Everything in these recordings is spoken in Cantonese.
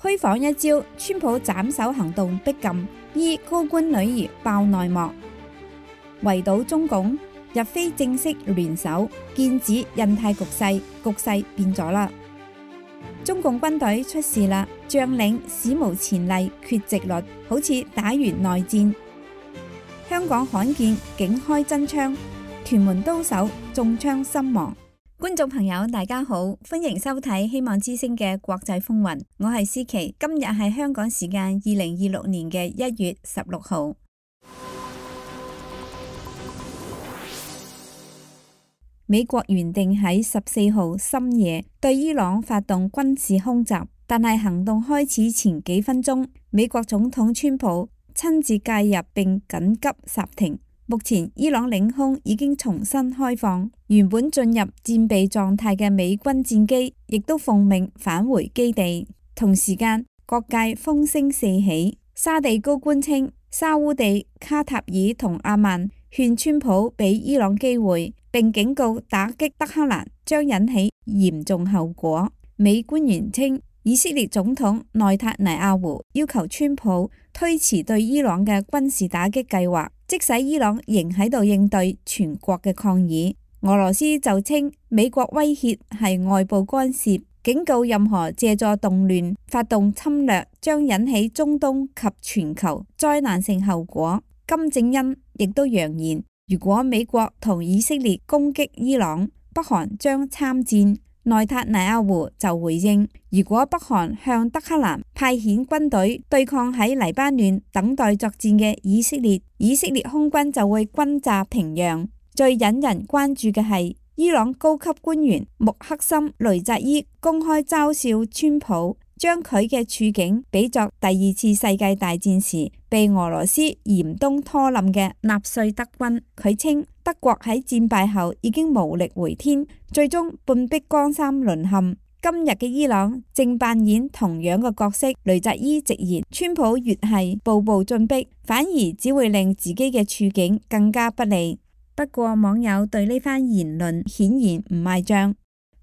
虛晃一招，川普斬首行動逼近，依高官女兒爆內幕，圍堵中共，日非正式聯手，劍指印太局勢變咗啦。中共軍隊出事啦，將領史無前例缺席率，好似打完內戰。香港罕見警開真槍，屯門刀手中槍身亡。觀眾朋友大家好，歡迎收睇希望之聲嘅國際風雲，我係思琪，今日係香港時間2026年嘅1月16號。美國原定喺14號深夜對伊朗發動軍事空襲，但係行動開始前幾分鐘，美國總統川普親自介入並緊急剎停。目前伊朗領空已經重新開放，原本進入戰備狀態嘅美軍戰機亦都奉命返回基地。同時間，各界風聲四起，沙地高官稱沙烏地、卡塔爾同阿曼勸川普俾伊朗機會，並警告打擊德黑蘭將引起嚴重後果。美官員稱，以色列總統內塔尼亞胡要求川普推遲對伊朗嘅軍事打擊計劃，即使伊朗仍喺度應對全國嘅抗議。俄羅斯就稱美國威脅係外部干涉，警告任何借助動亂發動侵略將引起中東及全球災難性後果。金正恩亦都揚言，如果美國同以色列攻擊伊朗，北韓將參戰。內塔尼亞胡就回應，如果北韓向德黑蘭派遣軍隊對抗喺黎巴嫩等待作戰嘅以色列，以色列空軍就會轟炸平壤。最引人關注嘅係，伊朗高級官員穆克森雷扎伊公開嘲笑川普，將佢嘅處境比作第二次世界大戰時被俄羅斯嚴冬拖冧嘅納粹德軍。佢稱德國喺戰敗後已經無力回天，最終半壁江山淪陷。今日嘅伊朗正扮演同樣嘅角色。雷扎伊直言，川普越係步步進逼，反而只會令自己嘅處境更加不利。不過網友對呢番言論顯然唔買賬，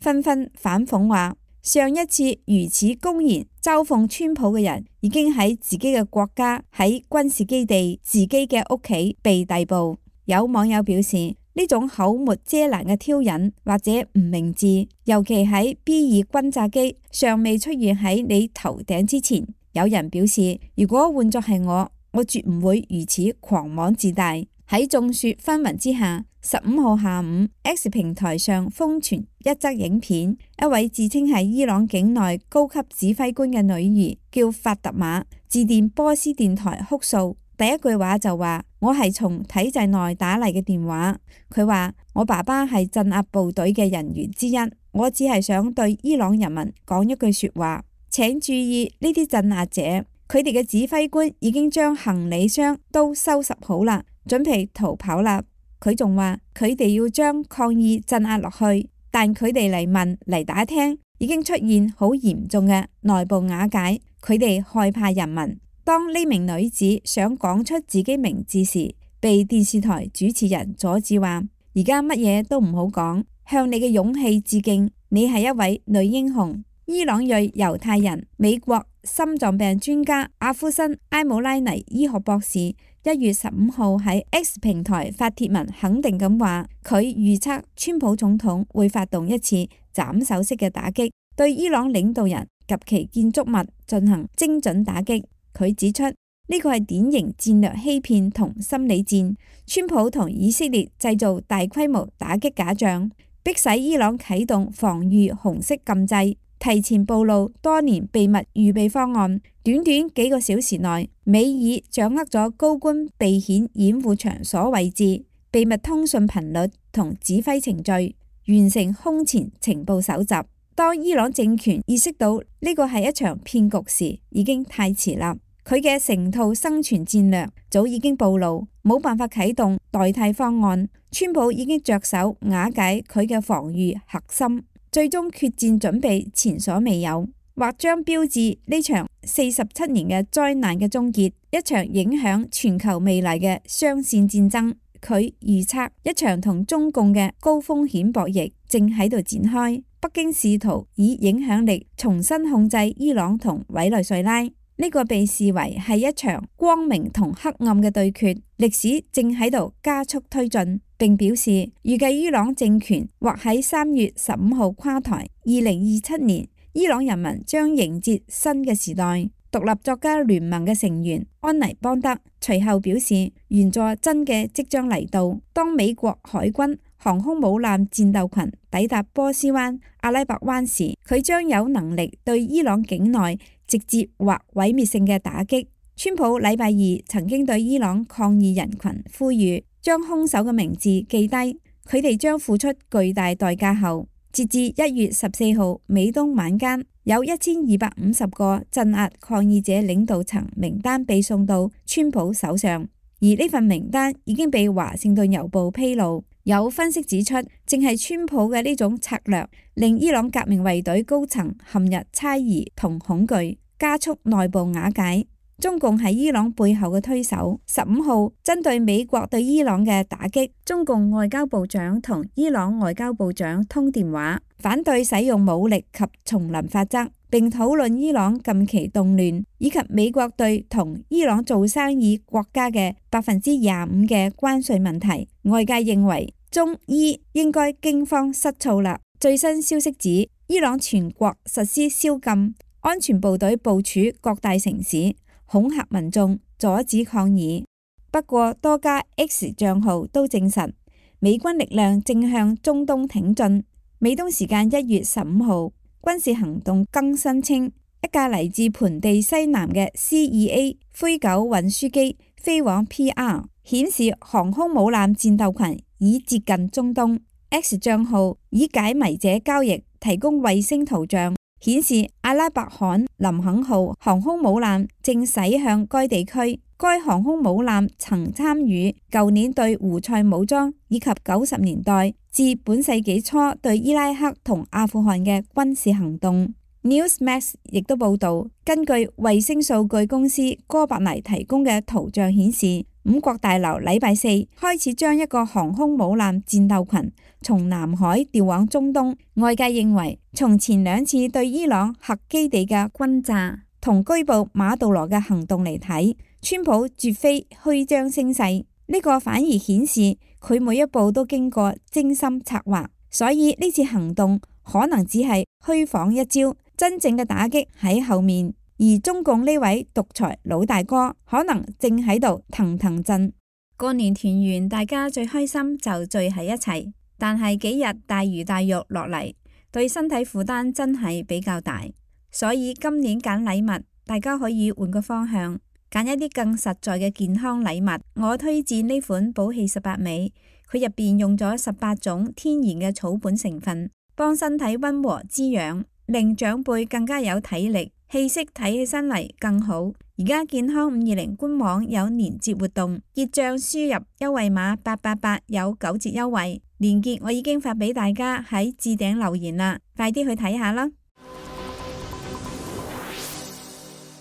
紛紛反諷話，上一次如此公然嘲諷川普嘅人，已經喺自己嘅國家、喺軍事基地、自己嘅屋企被逮捕。有網友表示，呢種口沒遮攔嘅挑釁或者唔明智，尤其喺 B2 轟炸機尚未出現喺你頭頂之前。有人表示，如果換作係我絕唔會如此狂妄自大。喺眾說紛紜之下，15號下午 X 平台上瘋傳一則影片，一位自稱係伊朗境內高級指揮官嘅女兒叫法特瑪，致電波斯電台哭訴。第一句話就話，我係從體制內打嚟嘅電話。佢話，我爸爸係鎮壓部隊嘅人員之一，我只係想對伊朗人民講一句說話，請注意呢啲鎮壓者，佢哋嘅指揮官已經將行李箱都收拾好啦，準備逃跑啦。佢仲話，佢哋要將抗議鎮壓落去，但佢哋嚟問嚟打聽，已經出現好嚴重嘅內部瓦解，佢哋害怕人民。當呢名女子想講出自己名字時，被電視台主持人阻止，話而家乜嘢都唔好講，向你嘅勇氣致敬，你係一位女英雄。伊朗裔猶太人、美國心臟病專家阿夫辛埃姆拉尼醫學博士1月15號喺 X 平台發帖文，肯定咁話，佢預測川普總統會發動一次斬首式嘅打擊，對伊朗領導人及其建築物進行精準打擊。佢指出，呢個係典型戰略欺騙同心理戰，川普同以色列製造大規模打擊假象，迫使伊朗啟動防禦紅色禁制，提前暴露多年秘密預備方案。短短幾個小時內，美爾掌握咗高官避險掩護場所位置、秘密通訊頻率同指揮程序，完成空前情報搜集。當伊朗政權意識到呢個係一場騙局時，已經太遲啦。佢嘅成套生存戰略早已經暴露，冇辦法啟動代替方案。川普已經着手瓦解佢嘅防禦核心，最終決戰準備前所未有，或將標誌呢場47年嘅災難嘅終結，一場影響全球未來嘅雙線戰爭。佢預測一場同中共嘅高風險博弈，正喺度展開。北京試圖以影響力重新控制伊朗同委內瑞拉，呢個被視為係一場光明同黑暗嘅對決，歷史正喺度加速推進。並表示預計伊朗政權或喺3月15號垮台。2027年，伊朗人民將迎接新嘅時代。獨立作家聯盟嘅成員安妮邦德隨後表示，原作真嘅即將嚟到。當美國海軍航空母艦戰鬥群抵達波斯灣、阿拉伯灣時，佢將有能力對伊朗境內直接或毀滅性嘅打擊。川普禮拜二曾經對伊朗抗議人群呼籲將兇手嘅名字記低，佢哋將付出巨大代價後，截至1月14號美東晚間，有1250個鎮壓抗議者領導層名單被送到川普手上，而呢份名單已經被華盛頓郵報披露。有分析指出，正係川普嘅呢種策略，令伊朗革命衛隊高層陷入猜疑同恐懼，加速內部瓦解。中共係伊朗背後嘅推手。15號針對美國對伊朗嘅打擊，中共外交部長同伊朗外交部長通電話，反對使用武力及叢林法則，並討論伊朗近期動亂以及美國對同伊朗做生意國家嘅25%嘅關稅問題。外界認為中伊應該驚慌失措啦。最新消息指，伊朗全國實施宵禁，安全部隊部署各大城市，恐嚇民眾，阻止抗議。不過多家 X 賬號都證實，美軍力量正向中東挺進。美東時間1月15號，軍事行動更新稱，一架嚟自盆地西南嘅 C-2A 灰狗運輸機飛往 PR， 顯示航空母艦戰鬥群已接近中東。X 賬號以解謎者交易提供衛星圖像，顯示阿拉伯罕林肯號航空母艦正駛向該地區。該航空母艦曾參與舊年對胡塞武裝以及90年代至本世紀初對伊拉克同阿富汗嘅軍事行動。Newsmax 亦都報道，根據衛星數據公司哥白尼提供嘅圖像顯示，五角大樓禮拜四開始將一個航空母艦戰鬥群從南海調往中東。外界認為，從前2次對伊朗核基地嘅轟炸同拘捕馬杜羅嘅行動嚟睇，川普絕非虛張聲勢，呢個反而顯示佢每一步都經過精心策劃。所以呢次行動可能只係虛晃一招，真正嘅打擊喺後面。而中共呢位獨裁老大哥可能正喺度騰騰震。過年團圓，大家最開心就聚喺一齊，但係幾日大魚大肉落嚟，對身體負擔真係比較大。所以今年揀禮物，大家可以換個方向，揀一啲更實在嘅健康禮物。我推薦呢款寶氣18味，佢入邊用咗18種天然嘅草本成分，幫身體溫和滋養，令長輩更加有體力，氣息睇起身嚟更好。而家健康520官網有年節活動，結賬輸入優惠碼888有9折優惠，鏈接我已經發俾大家喺置頂留言啦，快啲去睇下啦。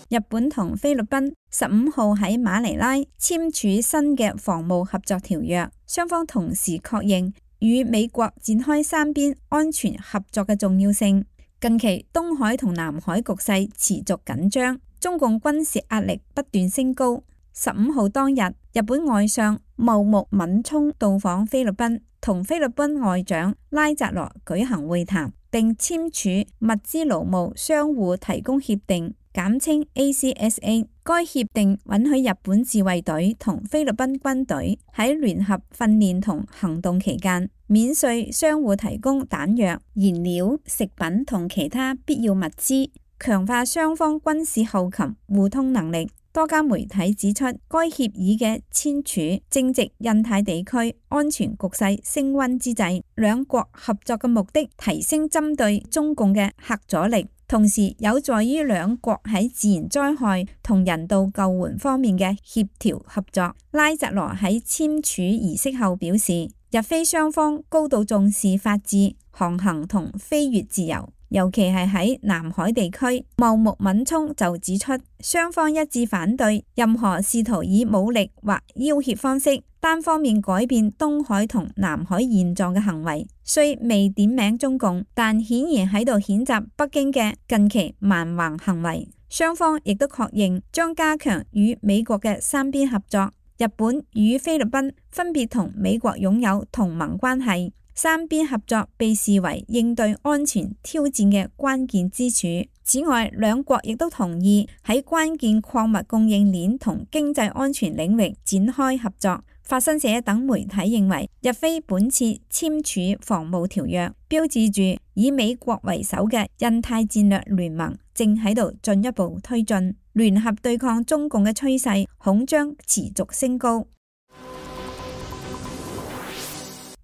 日本同菲律賓15號喺馬尼拉簽署新嘅防務合作條約，雙方同時確認與美國展開三邊安全合作嘅重要性。近期東海同南海局勢持續緊張，中共軍事壓力不斷升高。15號當日，日本外相茂木敏充到訪菲律賓，同菲律賓外長拉扎羅舉行會談，並簽署物資勞務相互提供協定，簡稱 ACSA。該協定允許日本自衛隊同菲律賓軍隊喺聯合訓練同行動期間，免稅相互提供彈藥、燃料、食品同其他必要物資，強化雙方軍事後勤互通能力。多家媒體指出，該協議嘅簽署正值印太地區安全局勢升溫之際，兩國合作嘅目的提升針對中共嘅核阻力，同時有助於兩國喺自然災害同人道救援方面嘅協調合作。拉扎羅喺簽署儀式後表示，日菲雙方高度重視法治、航行同飛越自由，尤其係喺南海地區。茂木敏充就指出，雙方一致反對任何試圖以武力或要挾方式單方面改變東海同南海現狀嘅行為。雖未點名中共，但顯然喺度譴責北京嘅近期蠻橫行為。雙方亦都確認將加強與美國嘅三邊合作。日本與菲律賓分別同美國擁有同盟關係，三邊合作被視為應對安全挑戰嘅關鍵支柱。此外，兩國亦都同意喺關鍵礦物供應鏈同經濟安全領域展開合作。法新社等媒體認為，日菲本次簽署防務條約，標誌住以美國為首嘅印太戰略聯盟正喺度進一步推進，聯合對抗中共嘅趨勢恐將持續升高。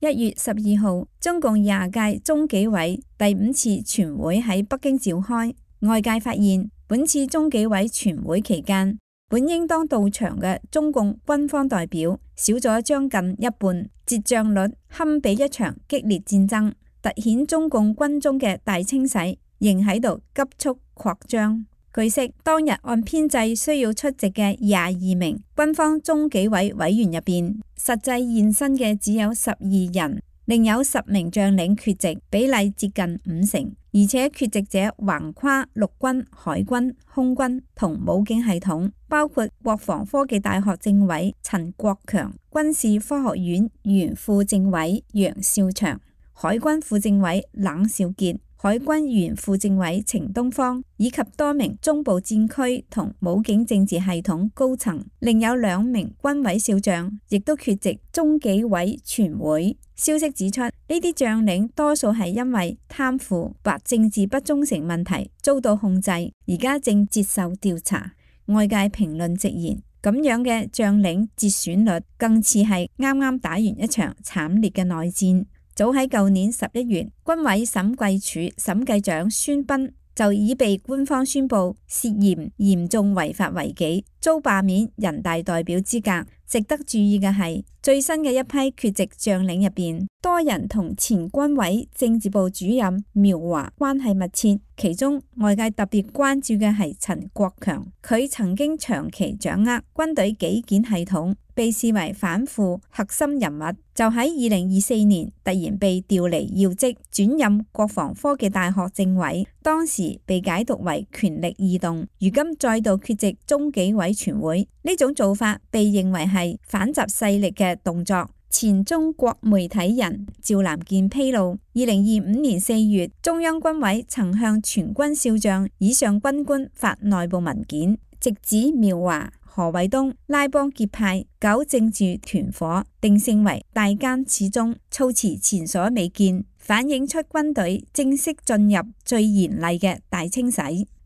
1月12號，中共20屆中紀委第5次全會喺北京召開，外界發現本次中紀委全會期間，本應當到場嘅中共軍方代表少咗將近一半，折將率堪比一場激烈戰爭，凸顯中共軍中嘅大清洗仍喺度急速擴張。據悉，當日按編制需要出席嘅22名軍方中紀委委員入邊，實際現身嘅只有12人，另有10名將領缺席，比例接近50%，而且缺席者橫跨陸軍、海軍、空軍同武警系統，包括國防科技大學政委陳國強、軍事科學院原副政委楊少祥、海軍副政委冷少傑、海軍原副政委程東方，以及多名中部戰區同武警政治系統高層，另有2名軍委少將亦都缺席中紀委全會。消息指出，呢啲將領多數係因為貪腐或政治不忠誠問題遭到控制，而家正接受調查。外界評論直言，咁樣嘅將領節選率更似係啱啱打完一場慘烈嘅內戰。早喺舊年11月，軍委審計署審計長孫斌就已被官方宣布涉嫌嚴重違法違紀，遭罷免人大代表資格。值得注意嘅係，最新嘅一批缺席將領入邊，多人同前軍委政治部主任苗華關係密切。其中外界特別關注嘅係陳國強，佢曾經長期掌握軍隊紀檢系統，被視為反腐核心人物。就喺2024年突然被調離要職，轉任國防科技大學政委，當時被解讀為權力異動，如今再度缺席中紀委全會，呢種做法被認為係反習勢力嘅動作。前中國媒體人趙南健披露，2025年4月，中央軍委曾向全軍少將以上軍官發內部文件，直指苗華、何衛東拉幫結派、搞政治團伙，定性為大奸始終，措辭前所未見，反映出軍隊正式進入最嚴厲嘅大清洗。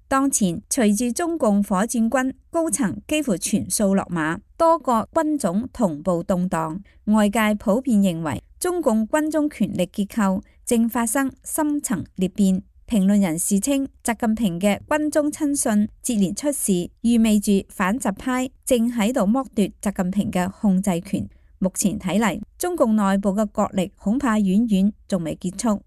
當前隨住中共火箭軍高層幾乎全數落馬，多個軍種同步動盪，外界普遍認為中共軍中權力結構正發生深層裂變。評論人士稱，習近平嘅軍中親信接連出事，意味住反習派正喺度剝奪習近平嘅控制權。目前睇嚟，中共內部嘅角力恐怕遠遠仲未結束。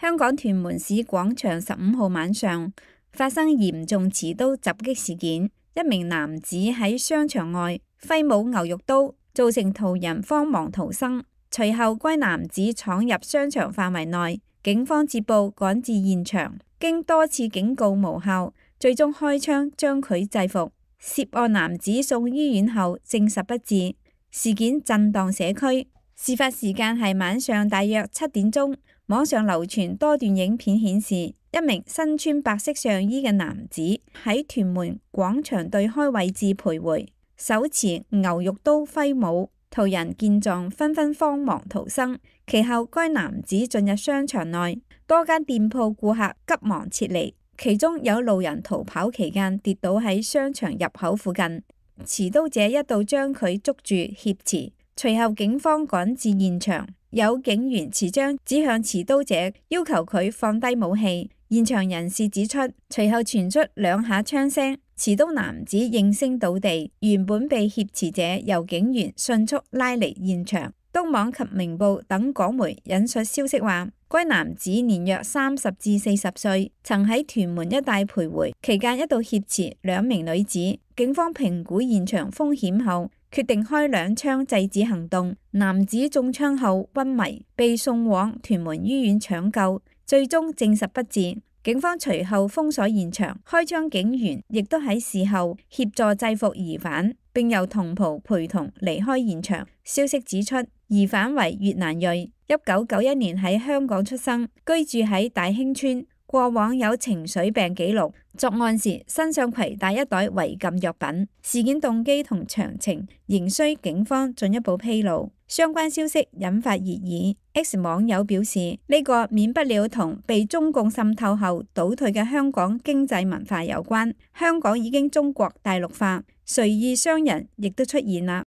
香港屯門市廣場15號晚上發生嚴重持刀襲擊事件，一名男子喺商場外揮舞牛肉刀，造成途人慌忙逃生。隨後該男子闖入商場範圍內，警方接報趕至現場，經多次警告無效，最終開槍將佢制服。涉案男子送醫院後證實不治。事件震盪社區。事發時間係晚上大約7點鐘。網上流傳多段影片顯示，一名身穿白色上衣嘅男子喺屯門廣場對開位置徘徊，手持牛肉刀揮舞，途人見狀紛紛慌忙逃生。其後該男子進入商場內，多間店鋪顧客急忙撤離，其中有路人逃跑期間跌倒喺商場入口附近，持刀者一度將佢捉住挾持，隨後警方趕至現場。有警員持槍指向持刀者，要求佢放低武器。現場人士指出，隨後傳出2下槍聲，持刀男子應聲倒地。原本被挾持者由警員迅速拉離現場。東網及明報等港媒引述消息話，該男子年約30至40歲，曾喺屯門一帶徘徊，期間一度挾持2名女子。警方評估現場風險後，決定開2槍制止行動。男子中槍後昏迷，被送往屯門醫院搶救，最終證實不治。警方隨後封鎖現場，開槍警員亦都喺事後協助制服疑犯，並由同袍陪同離開現場。消息指出，疑犯為越南裔，1991年喺香港出生，居住喺大興村，過往有情緒病記錄。作案時身上攜帶一袋違禁藥品。事件動機同詳情仍需警方進一步披露。相關消息引發熱議。X 網友表示，呢個免不了同被中共滲透後倒退嘅香港經濟文化有關。香港已經中國大陸化，隨意商人亦都出現啦。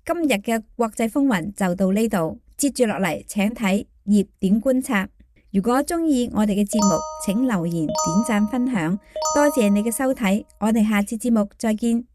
今日嘅國際風雲就到呢度，接住落嚟請睇熱點觀察。如果鍾意我哋嘅節目，請留言、點讚、分享，多謝你嘅收睇，我哋下次節目再見。